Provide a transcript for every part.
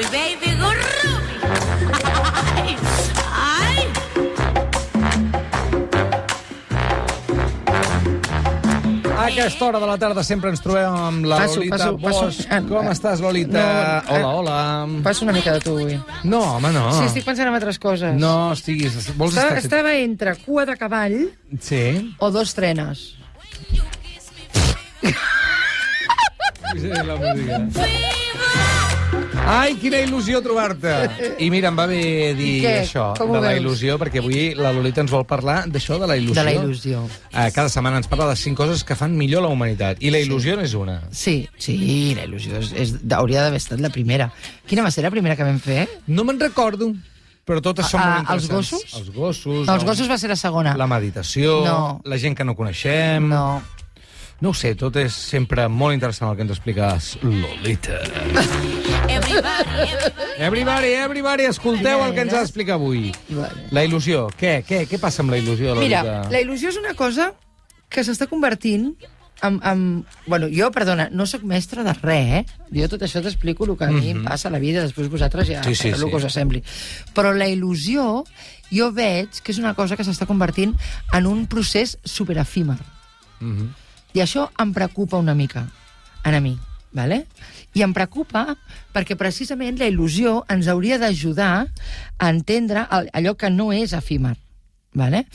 Ruby, baby, go Ruby. Ai. A aquesta hora de la tarda sempre ens trobem amb la Lolita Bosch. Com estàs, Lolita? Hola. Passo una mica de tu, avui. No, home, no. Sí, estic pensant en altres coses. No estiguis... Vols estar... Estava entre cua de cavall Sí. o dos trenes. Sí, la música. Ai, quina il·lusió trobar-te! I mira, em va bé dir això, de la il·lusió, perquè avui la Lolita ens vol parlar d'això, de la il·lusió. De la il·lusió. Cada setmana ens parla de 5 coses que fan millor la humanitat. I la il·lusió n'és una. Sí, la il·lusió hauria d'haver estat la primera. Quina va ser la primera que vam fer? No me'n recordo, però totes són molt Els interessants. gossos? Els gossos. No, els gossos va ser la segona. La meditació, la gent que no coneixem... No ho sé, tot és sempre molt interessant el que ens expliques, Lolita. Everybody, escolteu el que ens ha d'explicar avui. La il·lusió. Què passa amb la il·lusió, Lolita? Mira, la il·lusió és una cosa que s'està convertint en... Bueno, jo, perdona, no sóc mestre de res, Jo tot això t'explico el que a mi em passa a la vida, després vosaltres ja fareu el que us sembli. Però la il·lusió, jo veig que és una cosa que s'està convertint en un procés superefímer. I això em preocupa una mica, a mi, ¿vale? I em preocupa perquè precisament la il·lusió ens hauria d'ajudar a entendre allò que no és efímer. ¿Vale?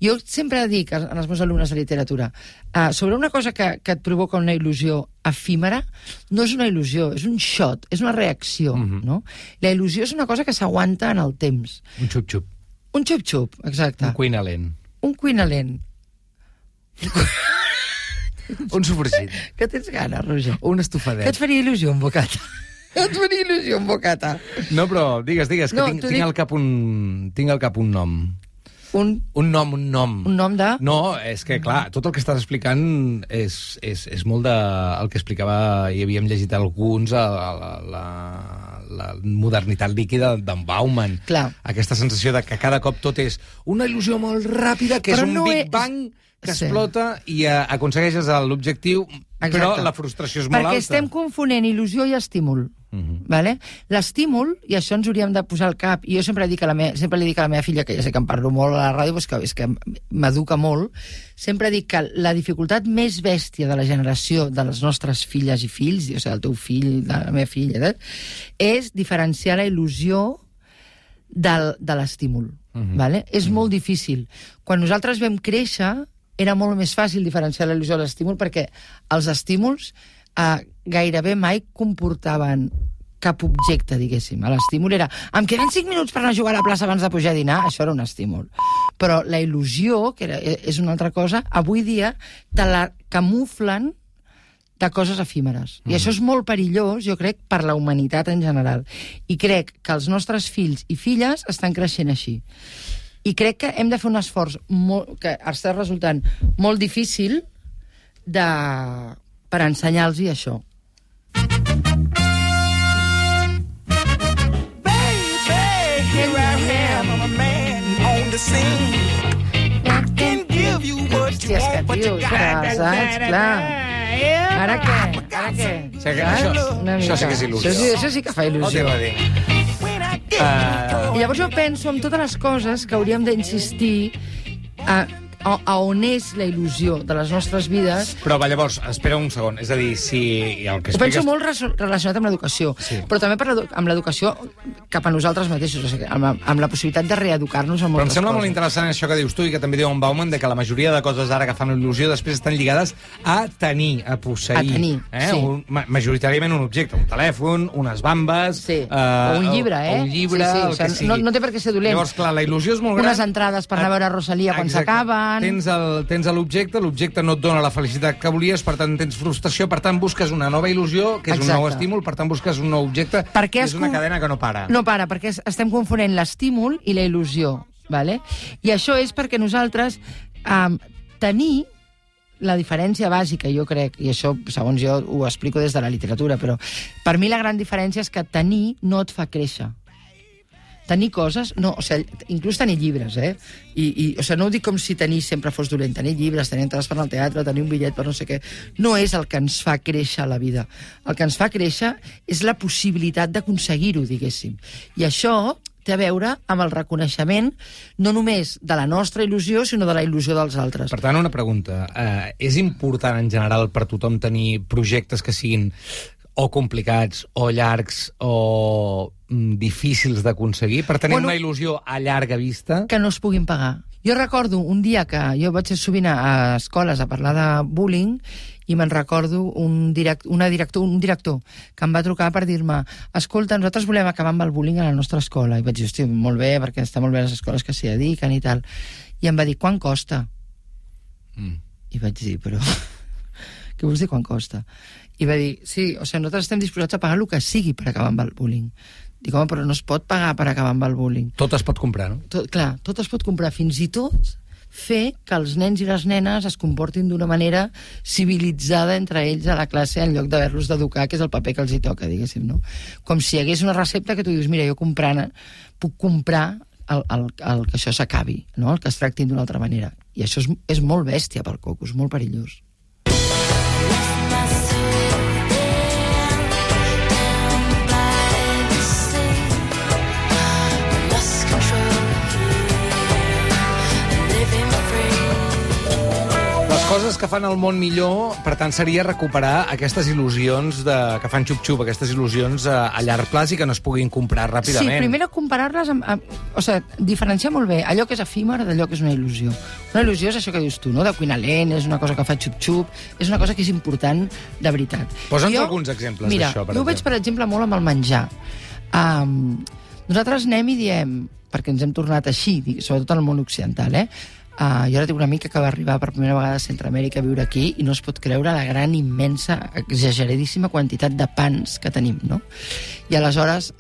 Jo sempre dic als meus alumnes de literatura, sobre una cosa que et provoca una il·lusió efímera, no és una il·lusió, és un shot, és una reacció. No? La il·lusió és una cosa que s'aguanta en el temps. Un xup-xup. Un xup-xup, exacte. Un cuinalent. Un cuinalent. Un sofregit. Que tens gana, Roger? Un estofadet. Que et faria il·lusió un bocata? Et faria il·lusió un bocata? No, però digues, que tinc al cap un nom. Un nom. Un nom de... No, és que, clar, tot el que estàs explicant és molt de... El que explicava, i havíem llegit alguns, la modernitat líquida d'en Bauman. Clar. Aquesta sensació de que cada cop tot és una il·lusió molt ràpida, que és un Big Bang que explota i aconsegueixes l'objectiu, però la frustració és molt alta. Perquè estem confonent il·lusió i estímul. Vale? L'estímul, i això ens hauríem de posar al cap, i jo sempre li dic a la meva filla, que ja sé que em parlo molt a la ràdio, és que m'educa molt, sempre dic que la dificultat més bèstia de la generació de les nostres filles i fills, o sigui, del teu fill, de la meva filla, és diferenciar la il·lusió de l'estímul. Vale? És molt difícil. Quan nosaltres vam créixer, era molt més fàcil diferenciar la il·lusió de l'estímul, perquè els estímuls gairebé mai comportaven cap objecte, diguéssim. L'estímul era, em queden 5 minuts per anar a jugar a la plaça abans de pujar a dinar, això era un estímul. Però la il·lusió, que és una altra cosa, avui dia te la camuflen de coses efímeres. I això és molt perillós, jo crec, per la humanitat en general. I crec que els nostres fills i filles estan creixent així. I crec que hem de fer un esforç que està resultant molt difícil per ensenyar-los això. Hòstia, és que, tio, saps? Clar. Ara què? Això sí que és il·lusió. Això sí que fa il·lusió. I llavors jo penso en totes les coses que hauríem d'insistir a on és la il·lusió de les nostres vides. Però llavors, espera un segon, és a dir, si el que expliques... Ho penso molt relacionat amb l'educació, però també amb l'educació cap a nosaltres mateixos, o sigui, amb la possibilitat de reeducar-nos en moltes coses. Però em sembla molt interessant això que dius tu i que també diu en Bauman, de que la majoria de coses ara que fan il·lusió després estan lligades a tenir, a posseir. A tenir, sí. Majoritàriament un objecte, un telèfon, unes bambes... Sí, o un llibre, o un llibre, el que sigui. No té per què ser dolent. Llavors, clar, la il·lusió és molt gran. Unes entrades per anar a veure Rosalia quan s'acaben... Tens l'objecte no et dona la felicitat que volies, per tant tens frustració, per tant busques una nova il·lusió, que és un nou estímul, per tant busques un nou objecte, que és una cadena que no para. No para, perquè estem confonent l'estímul i la il·lusió, ¿vale? I això és perquè nosaltres tenir la diferència bàsica, jo crec, i això, segons jo, ho explico des de la literatura, però per mi la gran diferència és que tenir no et fa créixer. tenir coses, no, o sigui, inclús tenir llibres, o sigui, no ho dic com si tenir sempre fos dolent, tenir llibres, tenir entrades per al teatre, tenir un bitllet per no sé què, no és el que ens fa créixer a la vida. El que ens fa créixer és la possibilitat d'aconseguir-ho, diguéssim. I això té a veure amb el reconeixement no només de la nostra il·lusió, sinó de la il·lusió dels altres. Per tant, una pregunta. És important en general per tothom tenir projectes que siguin o complicats, o llargs, o difícils d'aconseguir, per tenir una il·lusió a llarga vista? Que no es puguin pagar. Jo recordo un dia que jo vaig sovint a escoles a parlar de bullying i me'n recordo un director que em va trucar per dir-me escolta, nosaltres volem acabar amb el bullying a la nostra escola. I vaig dir, hosti, molt bé, perquè està molt bé les escoles que s'hi dediquen i tal. I em va dir, quant costa? I vaig dir, però... Què vols dir quan costa? I va dir, sí, o sigui, nosaltres estem disposats a pagar el que sigui per acabar amb el bullying. Dic, home, però no es pot pagar per acabar amb el bullying. Tot es pot comprar, no? Clar, tot es pot comprar, fins i tot fer que els nens i les nenes es comportin d'una manera civilitzada entre ells a la classe en lloc d'haver-los d'educar, que és el paper que els hi toca, diguéssim, no? Com si hi hagués una recepta que tu dius, mira, jo puc comprar el que això s'acabi, no? El que es tractin d'una altra manera. I això és molt bèstia pel coco, és molt perillós. Coses que fan el món millor, per tant, seria recuperar aquestes il·lusions que fan xup-xup, aquestes il·lusions a llarg plaç i que no es puguin comprar ràpidament. Sí, primer comparar-les o sigui, diferenciar molt bé allò que és efímer d'allò que és una il·lusió. Una il·lusió és això que dius tu, no? De cuinar lent, és una cosa que fa xup-xup, és una cosa que és important de veritat. Posa'ns alguns exemples d'això, per exemple. Jo ho veig, per exemple, molt amb el menjar. Nosaltres anem i diem, perquè ens hem tornat així, sobretot en el món occidental, jo ara tinc una amica que va arribar per primera vegada a Centroamèrica a viure aquí i no es pot creure la gran, immensa, exageradíssima quantitat de pans que tenim, no? I aleshores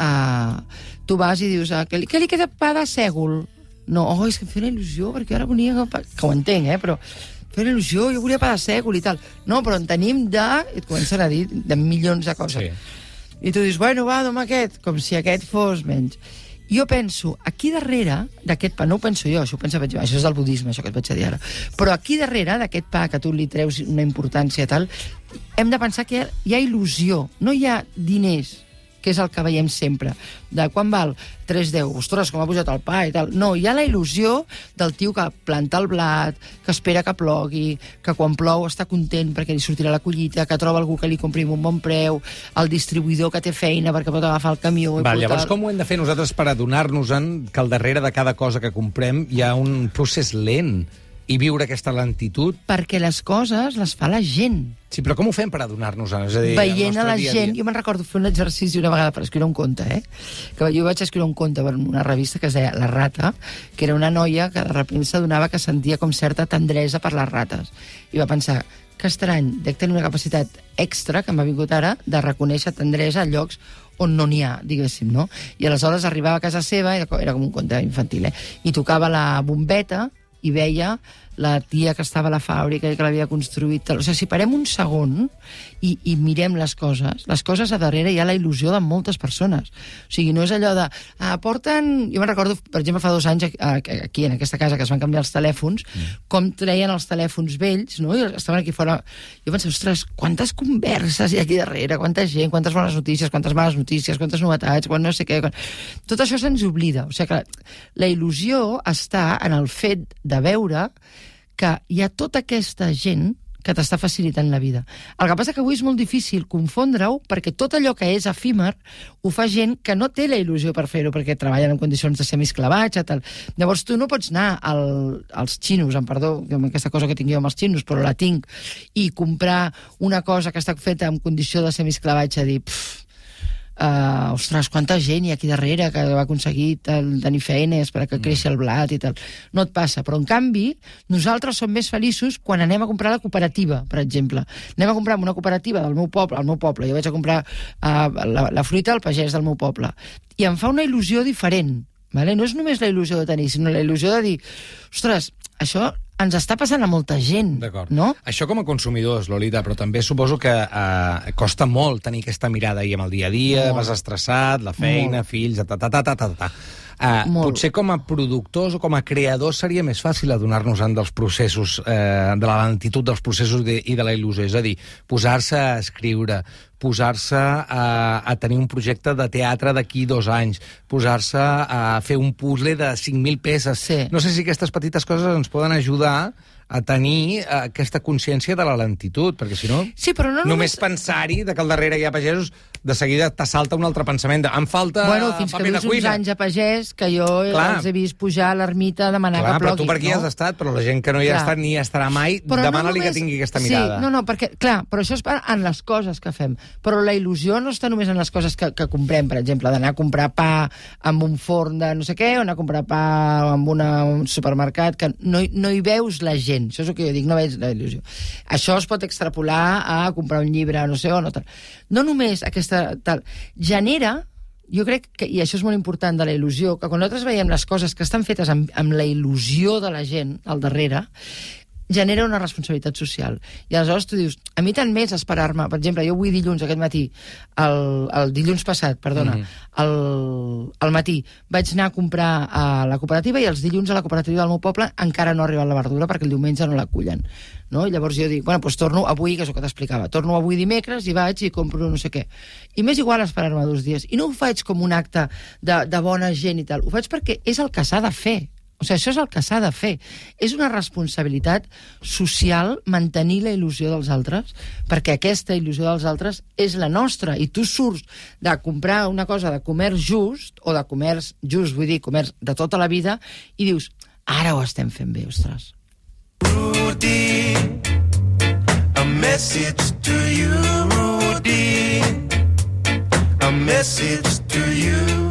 tu vas i dius, què li queda pa de sègol? No, és que em feia una il·lusió, perquè ara volia... Que ho entenc, però feia una il·lusió, jo volia pa de sègol i tal. No, però en tenim de... I et comencen a dir de milions de coses. Sí. I tu dius, bueno, va, doma aquest, com si aquest fos menys. Jo penso, aquí darrere d'aquest pa, no ho penso jo, això és del budisme, això que et vaig a dir ara, però aquí darrere d'aquest pa que tu li treus una importància tal, hem de pensar que hi ha il·lusió, no hi ha diners, que és el que veiem sempre, de quan val 3,10, ostres, com ha pujat el pa i tal. No, hi ha la il·lusió del tio que planta el blat, que espera que plogui, que quan plou està content perquè li sortirà la collita, que troba algú que li compri un bon preu, el distribuïdor que té feina perquè pot agafar el camió... Llavors, com ho hem de fer nosaltres per adonar-nos-en que al darrere de cada cosa que comprem hi ha un procés lent i viure aquesta lentitud? Perquè les coses les fa la gent. Sí, però com ho fem per adonar-nos-en? És a dir, veient a la gent... Jo me'n recordo fer un exercici una vegada per escriure un conte, que jo vaig escriure un conte per una revista que es deia La Rata, que era una noia que de sobte s'adonava que sentia com certa tendresa per les rates. I va pensar, que estrany, dec tenir una capacitat extra, que m'ha vingut ara, de reconèixer tendresa a llocs on no n'hi ha, diguéssim, no? I aleshores arribava a casa seva, era com un conte infantil, i tocava la bombeta i veia la tia que estava a la fàbrica i que l'havia construït. O sigui, si parem un segon i mirem les coses a darrere hi ha la il·lusió de moltes persones. O sigui, no és allò de... porten... Jo me'n recordo, per exemple, fa 2 anys aquí, en aquesta casa, que es van canviar els telèfons, com treien els telèfons vells, no? I estaven aquí fora... Jo pensava, ostres, quantes converses hi ha aquí darrere, quanta gent, quantes bones notícies, quantes males notícies, quantes novetats, quan no sé què... Tot això se'ns oblida. O sigui que la il·lusió està en el fet de veure que hi ha tota aquesta gent que t'està facilitant la vida. El que passa que avui és molt difícil confondre-ho perquè tot allò que és efímer ho fa gent que no té la il·lusió per fer-ho perquè treballen en condicions de semisclavatge, tal. Llavors tu no pots anar als xinos, amb perdó, aquesta cosa que tinc jo amb els xinos, però la tinc, i comprar una cosa que està feta en condició de semisclavatge, dir... ostres, quanta gent hi ha aquí darrere que va aconseguir tenir feines per que creixi el blat i tal. No et passa, però en canvi nosaltres som més feliços quan anem a comprar a la cooperativa, per exemple. Anem a comprar una cooperativa del meu poble, jo vaig a comprar la fruita al pagès del meu poble, i em fa una il·lusió diferent, vale? No és només la il·lusió de tenir, sinó la il·lusió de dir, ostres, això ens està passant a molta gent, no? Això com a consumidors, Lolita, però també suposo que costa molt tenir aquesta mirada ahir amb el dia a dia, vas estressat, la feina, fills, Potser com a productors o com a creadors seria més fàcil adonar-nos-en dels processos, de la lentitud dels processos i de la il·lusió. És a dir, posar-se a escriure, posar-se a tenir un projecte de teatre d'aquí 2 anys, posar-se a fer un puzzle de 5.000 peces. Sí. No sé si aquestes petites coses ens poden ajudar a tenir aquesta consciència de la lentitud, perquè si no, sí, però no només pensar-hi que al darrere hi ha pagesos, de seguida t'assalta un altre pensament de em falta fins que paper de vius uns cuina. anys a pagès, que jo els he vist pujar a l'ermita a demanar que Però plogui. tu per aquí has estat, però la gent que no hi ha estat ni hi estarà mai, demana-li que tingui aquesta mirada. Sí, perquè, però això és en les coses que fem. Però la il·lusió no està només en les coses que comprem, per exemple, d'anar a comprar pa amb un forn de no sé què, o anar a comprar pa amb un supermercat, que no hi veus la gent. Això és el que jo dic, no veig la il·lusió. Això es pot extrapolar a comprar un llibre, no sé on, no només aquesta tal. Genera, jo crec que, i això és molt important de la il·lusió, que quan nosaltres veiem les coses que estan fetes amb la il·lusió de la gent al darrere, genera una responsabilitat social. I aleshores tu dius, a mi tant més esperar-me, per exemple, jo avui dilluns, aquest matí, el dilluns passat, perdona, al matí, vaig anar a comprar a la cooperativa i els dilluns a la cooperativa del meu poble encara no ha arribat la verdura perquè el diumenge no l'acullen. No? I llavors jo dic, doncs torno avui, que és el que t'explicava, torno avui dimecres i vaig i compro no sé què. I m'és igual esperar-me 2 dies. I no ho faig com un acte de bona gent i tal, ho faig perquè és el que s'ha de fer. O sigui, això és el que s'ha de fer. És una responsabilitat social mantenir la il·lusió dels altres, perquè aquesta il·lusió dels altres és la nostra. I tu surts de comprar una cosa de comerç just, o de comerç just, vull dir, comerç de tota la vida, i dius, ara ho estem fent bé, ostres. Rudy, a message to you, Rudy, a message to you.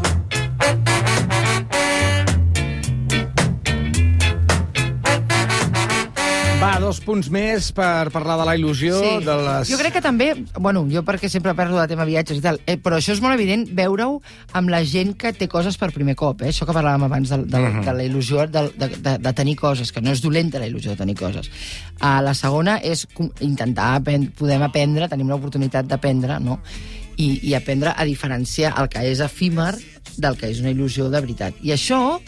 Va, 2 punts més per parlar de la il·lusió, Sí. de les... Jo crec que també, jo perquè sempre parlo de tema viatges i tal, però això és molt evident veure-ho amb la gent que té coses per primer cop, això que parlàvem abans de la il·lusió de tenir coses, que no és dolenta la il·lusió de tenir coses. La segona és intentar, podem aprendre, tenim l'oportunitat d'aprendre, no? I aprendre a diferenciar el que és efímer del que és una il·lusió de veritat. I això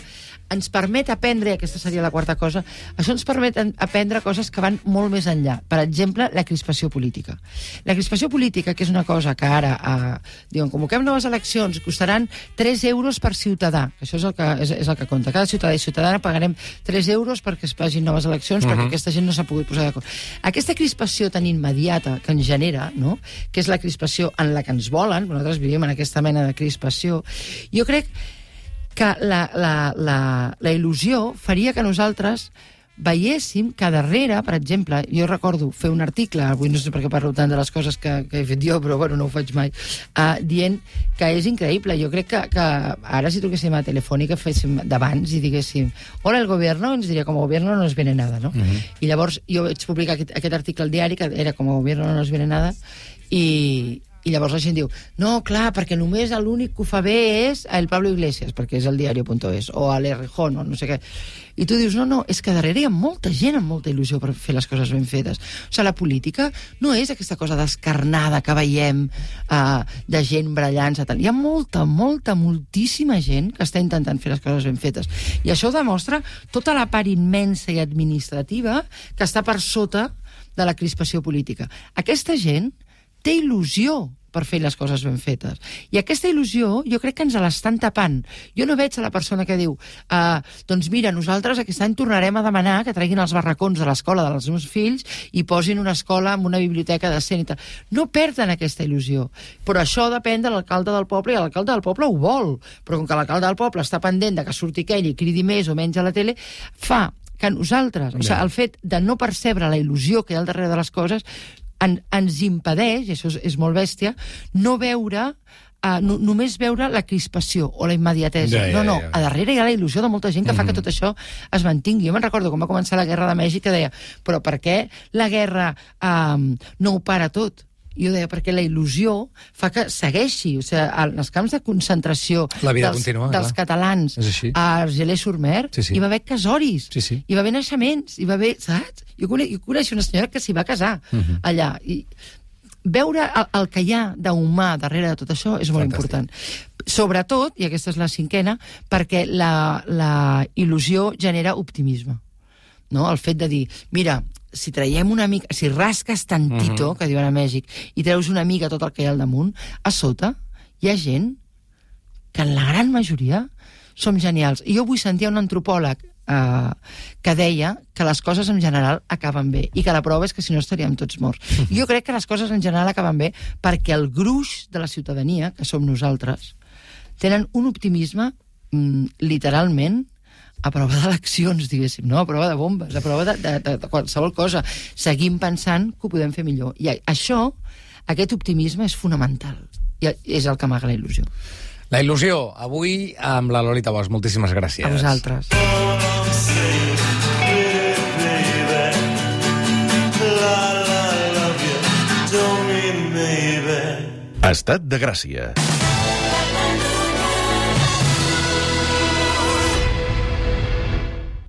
ens permet aprendre, i aquesta seria la quarta cosa, això ens permet aprendre coses que van molt més enllà. Per exemple, la crispació política. La crispació política, que és una cosa que ara, diuen, convoquem noves eleccions, costaran 3 euros per ciutadà. Això és el que compta. Cada ciutadà i ciutadana pagarem 3 euros perquè es facin noves eleccions, perquè aquesta gent no s'ha pogut posar d'acord. Aquesta crispació tan immediata que ens genera, no? Que és la crispació en la que ens volen, nosaltres vivim en aquesta mena de crispació, jo crec que la il·lusió faria que nosaltres veiéssim que darrere, per exemple, jo recordo fer un article, avui no sé per què parlo tant de les coses que he fet jo, però no ho faig mai, dient que és increïble. Jo crec que ara si truquéssim a Telefònica féssim d'abans i diguéssim hola, el gobierno, ens diria com a gobierno no nos viene nada, no? I llavors jo vaig publicar aquest article al diari que era com a gobierno no nos viene nada i llavors la gent diu, no, clar, perquè només l'únic que ho fa bé és el Pablo Iglesias, perquè és el diario.es, o a l'Errejón, o no sé què. I tu dius, no, és que darrere hi ha molta gent amb molta il·lusió per fer les coses ben fetes. O sigui, la política no és aquesta cosa descarnada que veiem de gent brallant-se. Hi ha moltíssima gent que està intentant fer les coses ben fetes. I això ho demostra tota la part immensa i administrativa que està per sota de la crispació política. Aquesta gent té il·lusió per fer les coses ben fetes. I aquesta il·lusió jo crec que ens l'estan tapant. Jo no veig a la persona que diu doncs mira, nosaltres aquest any tornarem a demanar que treguin els barracons de l'escola dels meus fills i posin una escola amb una biblioteca decent i tal. No perden aquesta il·lusió. Però això depèn de l'alcalde del poble i l'alcalde del poble ho vol. Però com que l'alcalde del poble està pendent de que surti aquell i cridi més o menys a la tele, fa que nosaltres, o sigui, el fet de no percebre la il·lusió que hi ha al darrere de les coses ens impedeix, i això és molt bèstia, no veure, només veure la crispació o la immediatesa. No, a darrere hi ha la il·lusió de molta gent que fa que tot això es mantingui. Jo me'n recordo quan va començar la guerra de Mèxic que deia, però per què la guerra no ho para tot? Jo deia, perquè la il·lusió fa que segueixi. O sigui, als camps de concentració dels catalans a Argelès-sur-Mer hi va haver casoris, hi va haver naixements, hi va haver, saps? Jo coneixo una senyora que s'hi va casar allà. I veure el que hi ha d'humà darrere de tot això és molt important. Sobretot, i aquesta és la cinquena, perquè la il·lusió genera optimisme. No? El fet de dir, mira, si traiem una mica, si rasques tantito, que diuen a Mèxic, i treus una mica tot el que hi ha al damunt, a sota hi ha gent que en la gran majoria som genials. I jo vull sentir un antropòleg que deia que les coses en general acaben bé, i que la prova és que si no estaríem tots morts. I jo crec que les coses en general acaben bé perquè el gruix de la ciutadania, que som nosaltres, tenen un optimisme literalment a prova d'eleccions, diguéssim, no? A prova de bombes, a prova de qualsevol cosa. Seguim pensant que ho podem fer millor. I això, aquest optimisme és fonamental. I és el que amaga la il·lusió. La il·lusió, avui amb la Lolita Bosch. Moltíssimes gràcies. A vosaltres. Estat de Gràcia.